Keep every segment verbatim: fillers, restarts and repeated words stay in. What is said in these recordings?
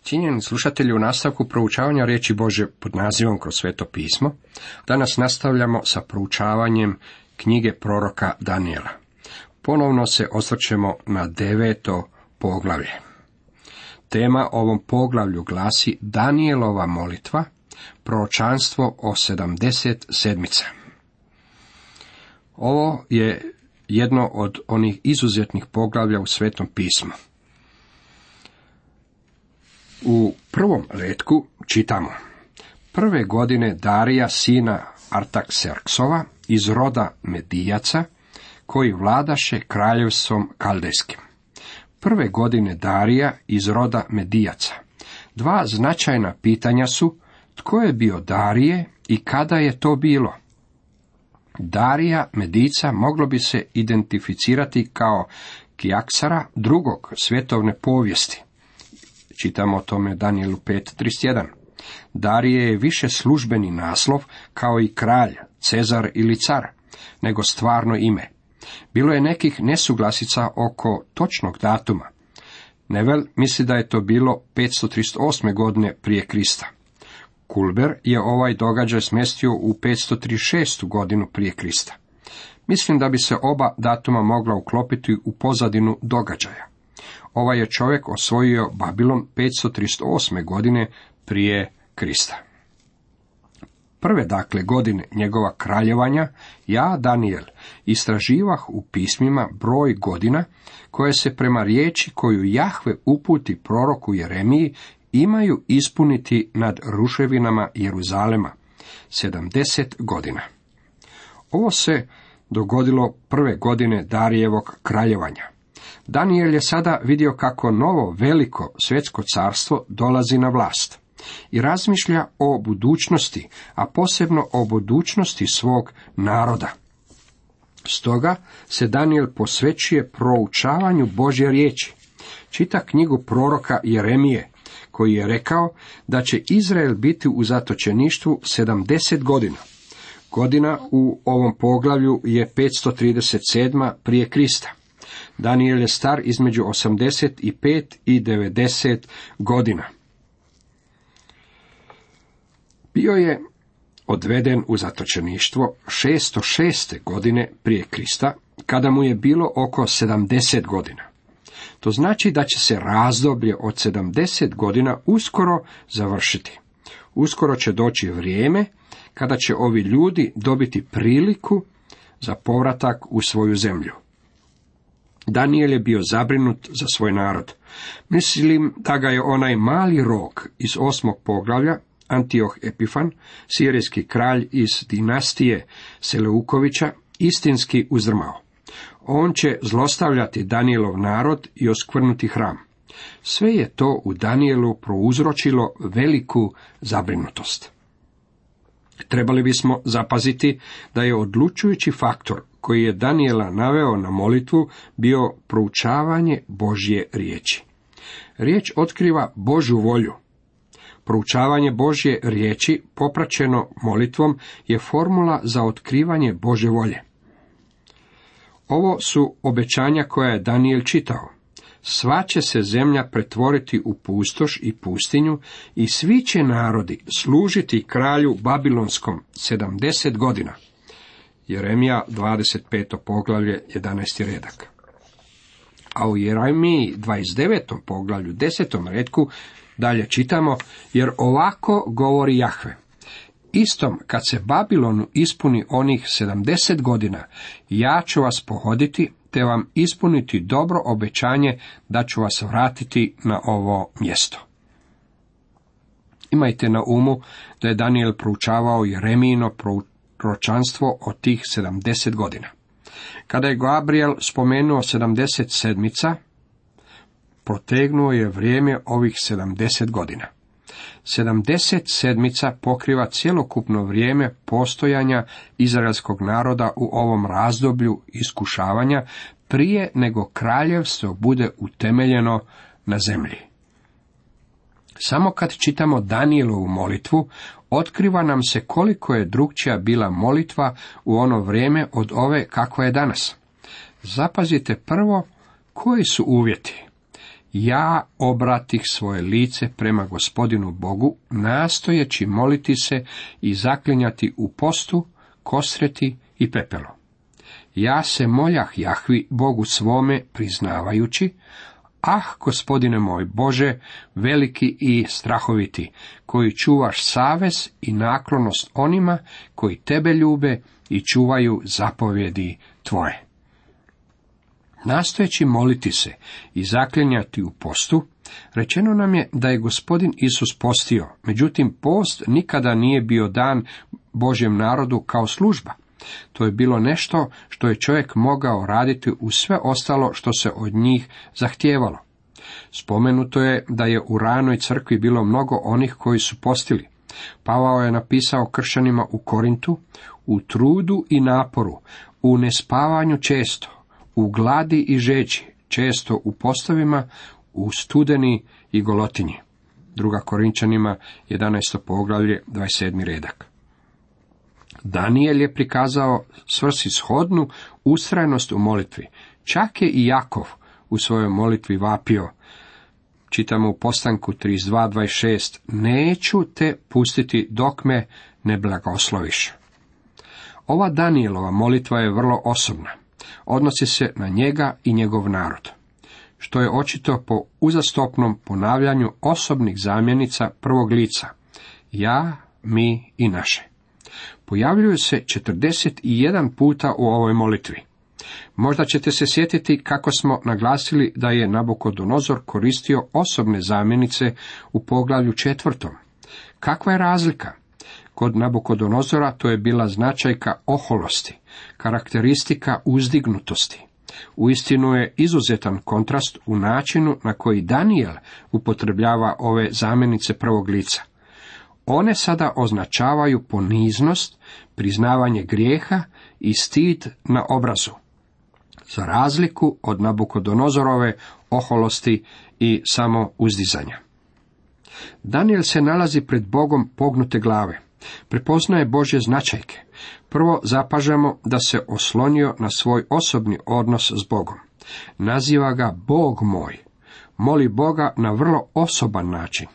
Cijenjeni slušatelji, u nastavku proučavanja riječi Božje pod nazivom Kroz sveto pismo, danas nastavljamo sa proučavanjem knjige proroka Danijela. Ponovno se osvrćemo na deveto poglavlje. Tema ovom poglavlju glasi Danijelova molitva, proročanstvo o sedamdeset sedmica. Ovo je jedno od onih izuzetnih poglavlja u Svetom pismu. U prvom retku čitamo: prve godine Darija sina Artakserksova iz roda Medijaca, koji vladaše kraljevstvom Kaldejskim. Prve godine Darija iz roda Medijaca. Dva značajna pitanja su: tko je bio Darije i kada je to bilo? Darija Medica moglo bi se identificirati kao Kijaksara drugog svjetovne povijesti. Čitamo o tome Danijelu pet trideset jedan. Darije je više službeni naslov, kao i kralj, cezar ili car, nego stvarno ime. Bilo je nekih nesuglasica oko točnog datuma. Nevel misli da je to bilo petsto trideset osme godine prije Krista. Kulber je ovaj događaj smjestio u petsto trideset šestu godinu prije Krista. Mislim da bi se oba datuma mogla uklopiti u pozadinu događaja. Ovaj je čovjek osvojio Babilon petsto trideset osme godine prije Krista. Prve dakle godine njegova kraljevanja, ja, Danijel, istraživah u pismima broj godina koje se prema riječi koju Jahve uputi proroku Jeremiji imaju ispuniti nad ruševinama Jeruzalema, sedamdeset godina. Ovo se dogodilo prve godine Darijevog kraljevanja. Danijel je sada vidio kako novo veliko svjetsko carstvo dolazi na vlast i razmišlja o budućnosti, a posebno o budućnosti svog naroda. Stoga se Danijel posvećuje proučavanju Božje riječi. Čita knjigu proroka Jeremije, koji je rekao da će Izrael biti u zatočeništvu sedamdeset godina. Godina u ovom poglavlju je petsto trideset sedma prije Krista. Danijel je star između osamdeset pet i devedeset godina. Bio je odveden u zatočeništvo šesto šeste godine prije Krista, kada mu je bilo oko sedamdeset godina. To znači da će se razdoblje od sedamdeset godina uskoro završiti. Uskoro će doći vrijeme kada će ovi ljudi dobiti priliku za povratak u svoju zemlju. Danijel je bio zabrinut za svoj narod. Mislim da ga je onaj mali rog iz osmog poglavlja, Antioh Epifan, sirijski kralj iz dinastije Seleukovića, istinski uzdrmao. On će zlostavljati Danijelov narod i oskvrnuti hram. Sve je to u Danijelu prouzročilo veliku zabrinutost. Trebali bismo zapaziti da je odlučujući faktor koji je Danijela naveo na molitvu bio proučavanje Božje riječi. Riječ otkriva Božju volju. Proučavanje Božje riječi popraćeno molitvom je formula za otkrivanje Božje volje. Ovo su obećanja koja je Danijel čitao. Sva će se zemlja pretvoriti u pustoš i pustinju i svi će narodi služiti kralju Babilonskom sedamdeset godina. Jeremija dvadeset peto poglavlje, jedanaesti redak. A u Jeremiji dvadeset devetom poglavlju, desetom retku dalje čitamo: jer ovako govori Jahve. Istom kad se Babilonu ispuni onih sedamdeset godina, ja ću vas pohoditi, te vam ispuniti dobro obećanje da ću vas vratiti na ovo mjesto. Imajte na umu da je Danijel proučavao Jeremijino proročanstvo od tih sedamdeset godina. Kada je Gabriel spomenuo sedamdeset sedmica, protegnuo je vrijeme ovih sedamdeset godina. sedamdeset sedmica pokriva cjelokupno vrijeme postojanja izraelskog naroda u ovom razdoblju iskušavanja prije nego kraljevstvo bude utemeljeno na zemlji. Samo kad čitamo Danijelovu molitvu, otkriva nam se koliko je drukčija bila molitva u ono vrijeme od ove kakva je danas. Zapazite prvo koji su uvjeti. Ja obratih svoje lice prema Gospodinu Bogu, nastojeći moliti se i zaklinjati u postu, kosreti i pepelo. Ja se moljah Jahvi, Bogu svome, priznavajući: ah, Gospodine moj Bože, veliki i strahoviti, koji čuvaš savez i naklonost onima koji tebe ljube i čuvaju zapovjedi tvoje. Nastojeći moliti se i zaklinjati u postu, rečeno nam je da je Gospodin Isus postio, međutim post nikada nije bio dan Božjem narodu kao služba. To je bilo nešto što je čovjek mogao raditi uz sve ostalo što se od njih zahtijevalo. Spomenuto je da je u ranoj crkvi bilo mnogo onih koji su postili. Pavao je napisao kršćanima u Korintu: u trudu i naporu, u nespavanju često, u gladi i žeđi, često u postovima, u studeni i golotinji. Druga Korinčanima, jedanaesto poglavlje, dvadeset sedmi redak. Daniel je prikazao svrsishodnu ustrajnost u molitvi. Čak je i Jakov u svojoj molitvi vapio. Čitamo u Postanku trideset dva dvadeset šest: neću te pustiti dok me ne blagosloviš. Ova Danielova molitva je vrlo osobna. Odnosi se na njega i njegov narod, što je očito po uzastopnom ponavljanju osobnih zamjenica prvog lica: ja, mi i naše. Pojavljuju se četrdeset jedan puta u ovoj molitvi. Možda ćete se sjetiti kako smo naglasili da je Nabukodonozor koristio osobne zamjenice u poglavlju četvrtom. Kakva je razlika? Kod Nabukodonozora to je bila značajka oholosti, karakteristika uzdignutosti. Uistinu je izuzetan kontrast u načinu na koji Danijel upotrebljava ove zamjenice prvog lica. One sada označavaju poniznost, priznavanje grijeha i stid na obrazu, za razliku od Nabukodonozorove oholosti i samouzdizanja. Danijel se nalazi pred Bogom pognute glave. Prepoznaje Božje značajke. Prvo zapažamo da se oslonio na svoj osobni odnos s Bogom. Naziva ga Bog moj. Moli Boga na vrlo osoban način.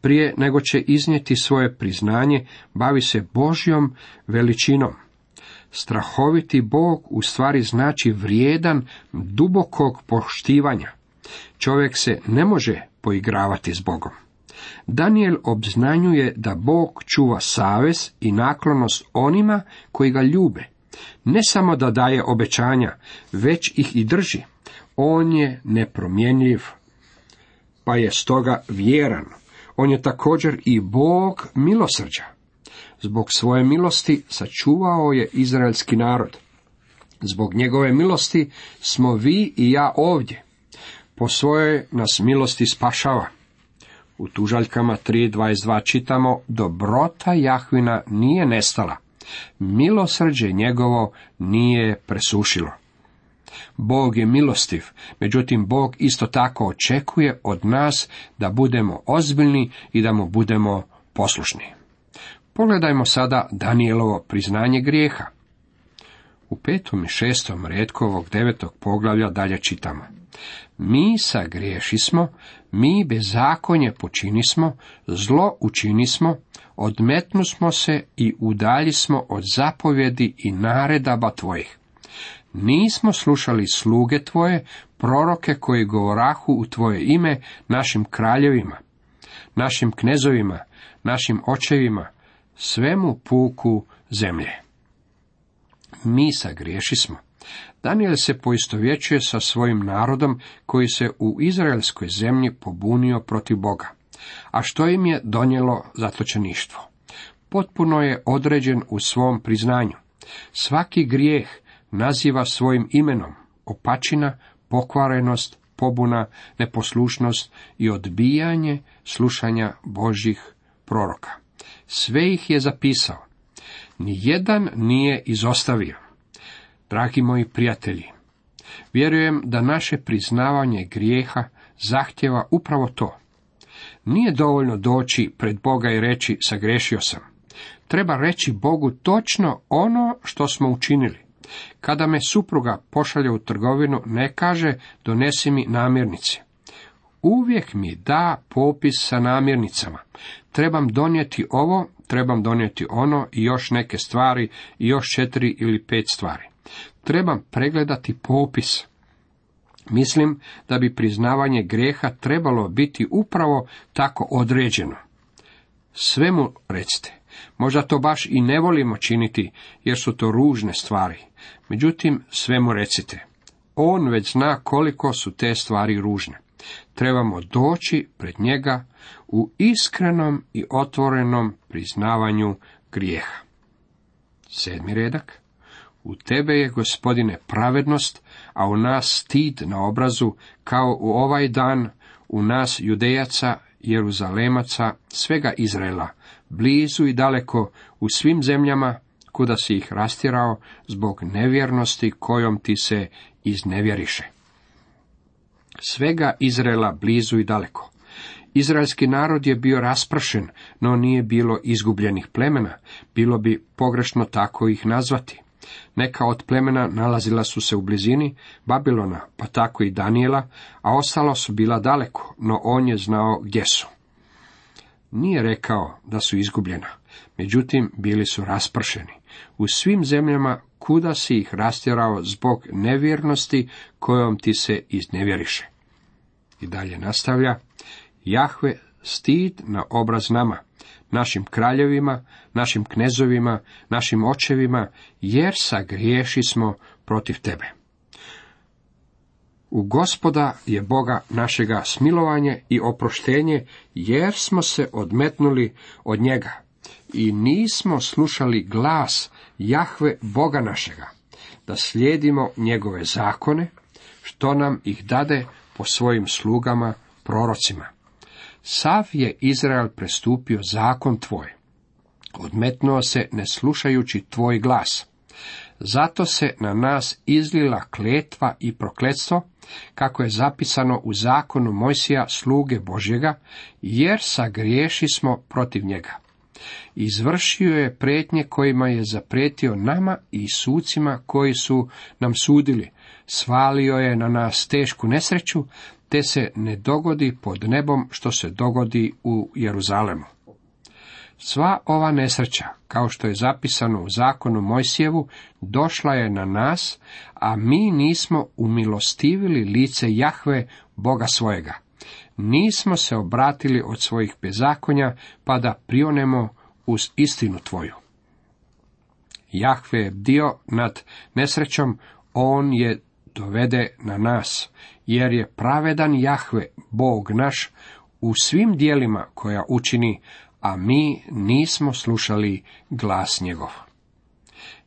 Prije nego će iznijeti svoje priznanje, bavi se Božjom veličinom. Strahoviti Bog u stvari znači vrijedan dubokog poštivanja. Čovjek se ne može poigravati s Bogom. Daniel obznanjuje da Bog čuva savez i naklonost onima koji ga ljube. Ne samo da daje obećanja, već ih i drži. On je nepromjenjiv, pa je stoga vjeran. On je također i Bog milosrđa. Zbog svoje milosti sačuvao je izraelski narod. Zbog njegove milosti smo vi i ja ovdje. Po svojoj nas milosti spašava. U Tužaljkama tri dvadeset dva čitamo: dobrota Jahvina nije nestala, milosrđe njegovo nije presušilo. Bog je milostiv, međutim Bog isto tako očekuje od nas da budemo ozbiljni i da mu budemo poslušni. Pogledajmo sada Danijelovo priznanje grijeha. U petom i šestom retku ovog devetog poglavlja dalje čitamo: mi sagriješismo, mi bezakonje počinismo, zlo učinismo, odmetnusmo se i udaljismo od zapovjedi i naredaba tvojih. Nismo slušali sluge tvoje, proroke koji govorahu u tvoje ime našim kraljevima, našim knezovima, našim očevima, svemu puku zemlje. Mi sagriješismo. Daniel se poistovjećuje sa svojim narodom koji se u izraelskoj zemlji pobunio protiv Boga. A što im je donijelo zatočeništvo? Potpuno je određen u svom priznanju. Svaki grijeh naziva svojim imenom: opačina, pokvarenost, pobuna, neposlušnost i odbijanje slušanja Božjih proroka. Sve ih je zapisao. Nijedan nije izostavio. Dragi moji prijatelji, vjerujem da naše priznavanje grijeha zahtjeva upravo to. Nije dovoljno doći pred Boga i reći sagriješio sam. Treba reći Bogu točno ono što smo učinili. Kada me supruga pošalje u trgovinu, ne kaže donesi mi namirnice. uvijek mi da popis sa namirnicama. Trebam donijeti ovo, trebam donijeti ono i još neke stvari i još četiri ili pet stvari. Trebam pregledati popis. Mislim da bi priznavanje grijeha trebalo biti upravo tako određeno. Sve mu recite. Možda to baš i ne volimo činiti, jer su to ružne stvari. Međutim, sve mu recite. On već zna koliko su te stvari ružne. Trebamo doći pred njega u iskrenom i otvorenom priznavanju grijeha. Sedmi redak. U tebe je, Gospodine, pravednost, a u nas stid na obrazu, kao u ovaj dan u nas Judejaca, Jeruzalemaca, svega Izraela, blizu i daleko, u svim zemljama, kuda si ih rastjerao, zbog nevjernosti kojom ti se iznevjeriše. Svega Izraela blizu i daleko. Izraelski narod je bio raspršen, no nije bilo izgubljenih plemena, bilo bi pogrešno tako ih nazvati. Neka od plemena nalazila su se u blizini Babilona, pa tako i Danijela, a ostala su bila daleko, no on je znao gdje su. Nije rekao da su izgubljena, međutim bili su raspršeni u svim zemljama kuda si ih rastjerao zbog nevjernosti kojom ti se iznevjeriše. I dalje nastavlja, Jahve stid na obraz nama, našim kraljevima, našim knezovima, našim očevima, jer sagriješi smo protiv tebe. U Gospoda je Boga našega smilovanje i oproštenje, jer smo se odmetnuli od njega i nismo slušali glas Jahve Boga našega, da slijedimo njegove zakone, što nam ih dade po svojim slugama, prorocima. Sav je Izrael prestupio zakon tvoj, odmetnuo se ne slušajući tvoj glas. Zato se na nas izlila kletva i prokletstvo, kako je zapisano u zakonu Mojsija, sluge Božjega, jer sagriješi smo protiv njega. Izvršio je prijetnje kojima je zaprijetio nama i sucima koji su nam sudili. Svalio je na nas tešku nesreću, te se ne dogodi pod nebom što se dogodi u Jeruzalemu. Sva ova nesreća, kao što je zapisano u zakonu Mojsijevu, došla je na nas, a mi nismo umilostivili lice Jahve, Boga svojega. Nismo se obratili od svojih bezakonja, pa da prionemo uz istinu tvoju. Jahve je bdio nad nesrećom, on je dovede na nas, jer je pravedan Jahve, Bog naš, u svim dijelima koja učini, a mi nismo slušali glas njegov.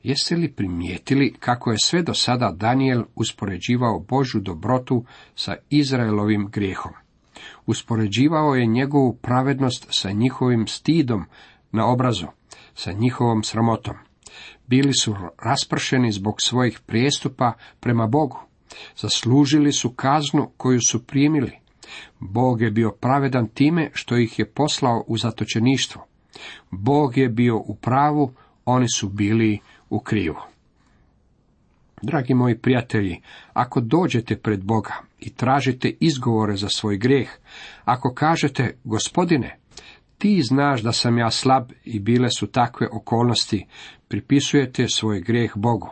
Jeste li primijetili kako je sve do sada Danijel uspoređivao Božju dobrotu sa Izraelovim grijehom? Uspoređivao je njegovu pravednost sa njihovim stidom na obrazu, sa njihovom sramotom. Bili su raspršeni zbog svojih prijestupa prema Bogu. Zaslužili su kaznu koju su primili. Bog je bio pravedan time što ih je poslao u zatočeništvo. Bog je bio u pravu, oni su bili u krivu. Dragi moji prijatelji, ako dođete pred Boga i tražite izgovore za svoj grijeh, ako kažete, Gospodine, ti znaš da sam ja slab i bile su takve okolnosti, pripisujete svoj grijeh Bogu.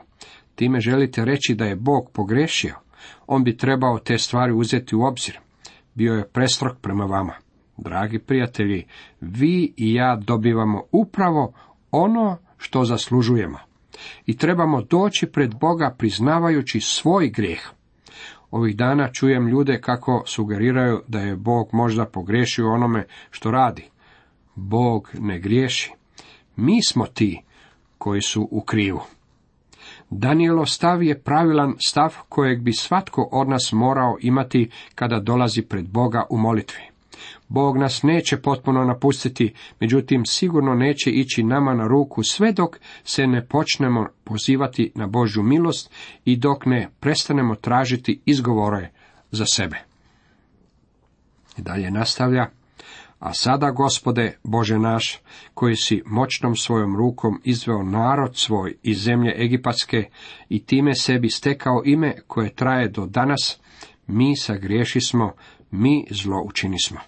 Time želite reći da je Bog pogrešio, on bi trebao te stvari uzeti u obzir. Bio je prestrog prema vama. Dragi prijatelji, vi i ja dobivamo upravo ono što zaslužujemo. I trebamo doći pred Boga priznavajući svoj grijeh. Ovih dana čujem ljude kako sugeriraju da je Bog možda pogriješio onome što radi. Bog ne griješi. Mi smo ti koji su u krivu. Danijelov stav je pravilan stav kojeg bi svatko od nas morao imati kada dolazi pred Boga u molitvi. Bog nas neće potpuno napustiti, međutim sigurno neće ići nama na ruku sve dok se ne počnemo pozivati na Božju milost i dok ne prestanemo tražiti izgovore za sebe. I dalje nastavlja, a sada, Gospode, Bože naš, koji si moćnom svojom rukom izveo narod svoj iz zemlje Egipatske i time sebi stekao ime koje traje do danas, mi sagriješismo, mi zlo učinismo.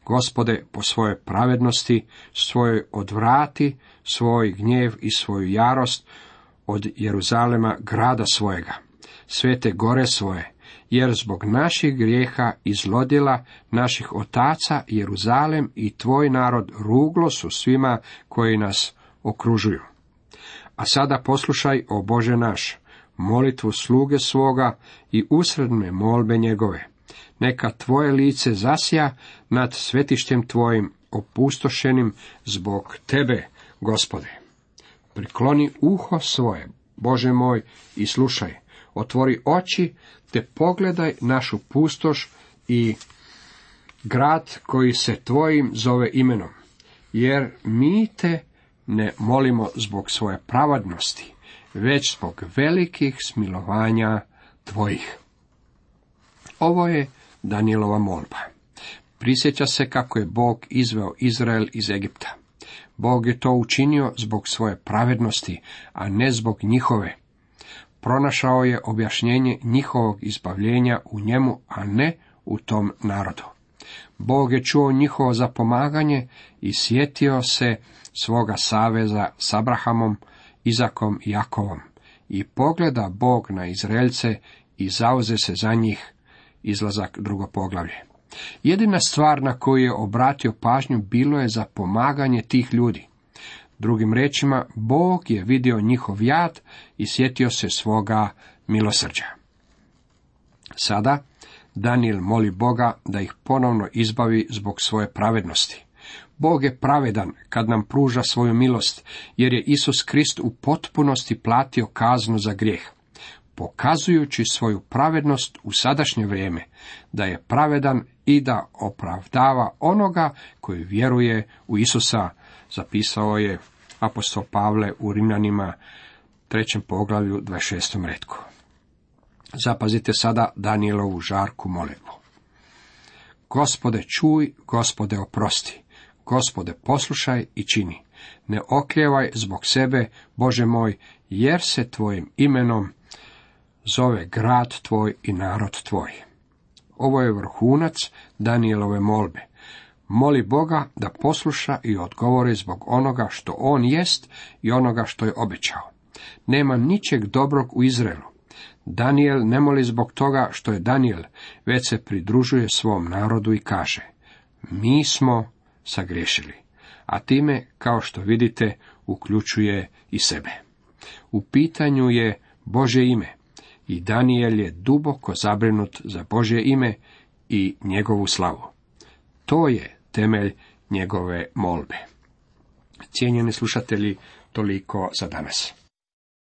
Gospode, po svojoj pravednosti, svojoj odvrati, svoj gnjev i svoju jarost od Jeruzalema, grada svojega, svete gore svoje, jer zbog naših grijeha i zlodjela naših otaca Jeruzalem i tvoj narod ruglo su svima koji nas okružuju. A sada poslušaj, o Bože naš, molitvu sluge svoga i usredne molbe njegove. Neka tvoje lice zasja nad svetištem tvojim opustošenim zbog tebe, Gospode. Prikloni uho svoje, Bože moj, i slušaj. Otvori oči, te pogledaj našu pustoš i grad koji se tvojim zove imenom. Jer mi te ne molimo zbog svoje pravednosti, već zbog velikih smilovanja tvojih. Ovo je Danijelova molba. Prisjeća se kako je Bog izveo Izrael iz Egipta. Bog je to učinio zbog svoje pravednosti, a ne zbog njihove. Pronašao je objašnjenje njihovog izbavljenja u njemu, a ne u tom narodu. Bog je čuo njihovo zapomaganje i sjetio se svoga saveza s Abrahamom, Izakom i Jakovom. I pogleda Bog na Izraelce i zauze se za njih. Izlazak drugo poglavlje. Jedina stvar na koju je obratio pažnju bilo je za pomaganje tih ljudi. Drugim riječima, Bog je vidio njihov jad i sjetio se svoga milosrđa. Sada Danijel moli Boga da ih ponovno izbavi zbog svoje pravednosti. Bog je pravedan kad nam pruža svoju milost, jer je Isus Krist u potpunosti platio kaznu za grijeh, pokazujući svoju pravednost u sadašnje vrijeme, da je pravedan i da opravdava onoga koji vjeruje u Isusa, zapisao je apostol Pavle u Rimljanima trećem poglavlju dvadeset šestom retku. Zapazite sada Danijelovu žarku molitvu. Gospode čuj, Gospode oprosti, Gospode poslušaj i čini. Ne okljevaj zbog sebe, Bože moj, jer se tvojim imenom zove grad tvoj i narod tvoj. Ovo je vrhunac Danijelove molbe. Moli Boga da posluša i odgovori zbog onoga što on jest i onoga što je obećao. Nema ničeg dobrog u Izraelu. Danijel ne moli zbog toga što je Danijel, već se pridružuje svom narodu i kaže: mi smo sagriješili, a time, kao što vidite, uključuje i sebe. U pitanju je Božje ime i Danijel je duboko zabrinut za Božje ime i njegovu slavu. To je temelj njegove molbe. Cijenjeni slušatelji, toliko za danas.